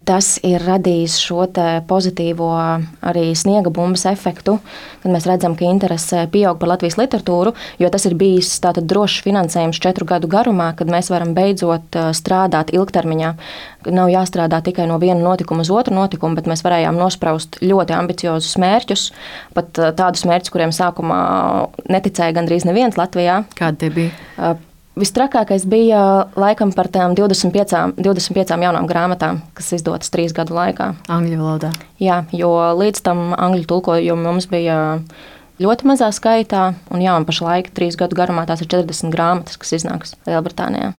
Tas ir radījis šo pozitīvo arī sniega bumbas efektu, kad mēs redzam, ka interese pieaug par Latvijas literatūru, jo tas ir bijis tātad drošs finansējums 4 gadu garumā, kad mēs varam beidzot strādāt ilgtermiņā. Nav jāstrādā tikai no viena notikuma uz otru notikumu, bet mēs varējām nospraust ļoti ambiciozus mērķus, pat tādus mērķus, kuriem sākumā neticēja gandrīz neviens Latvijā. Kādi tie bija? Vistrakākais bija laikam par tām 25 jaunām grāmatām, kas izdotas 3 gadu laikā. Angļu valodā. Jā, jo līdz tam angļu tulkojumu mums bija ļoti mazā skaitā, un pašlaik 3 gadu garumā tās ir 40 grāmatas, kas iznāks Lielbritānijā.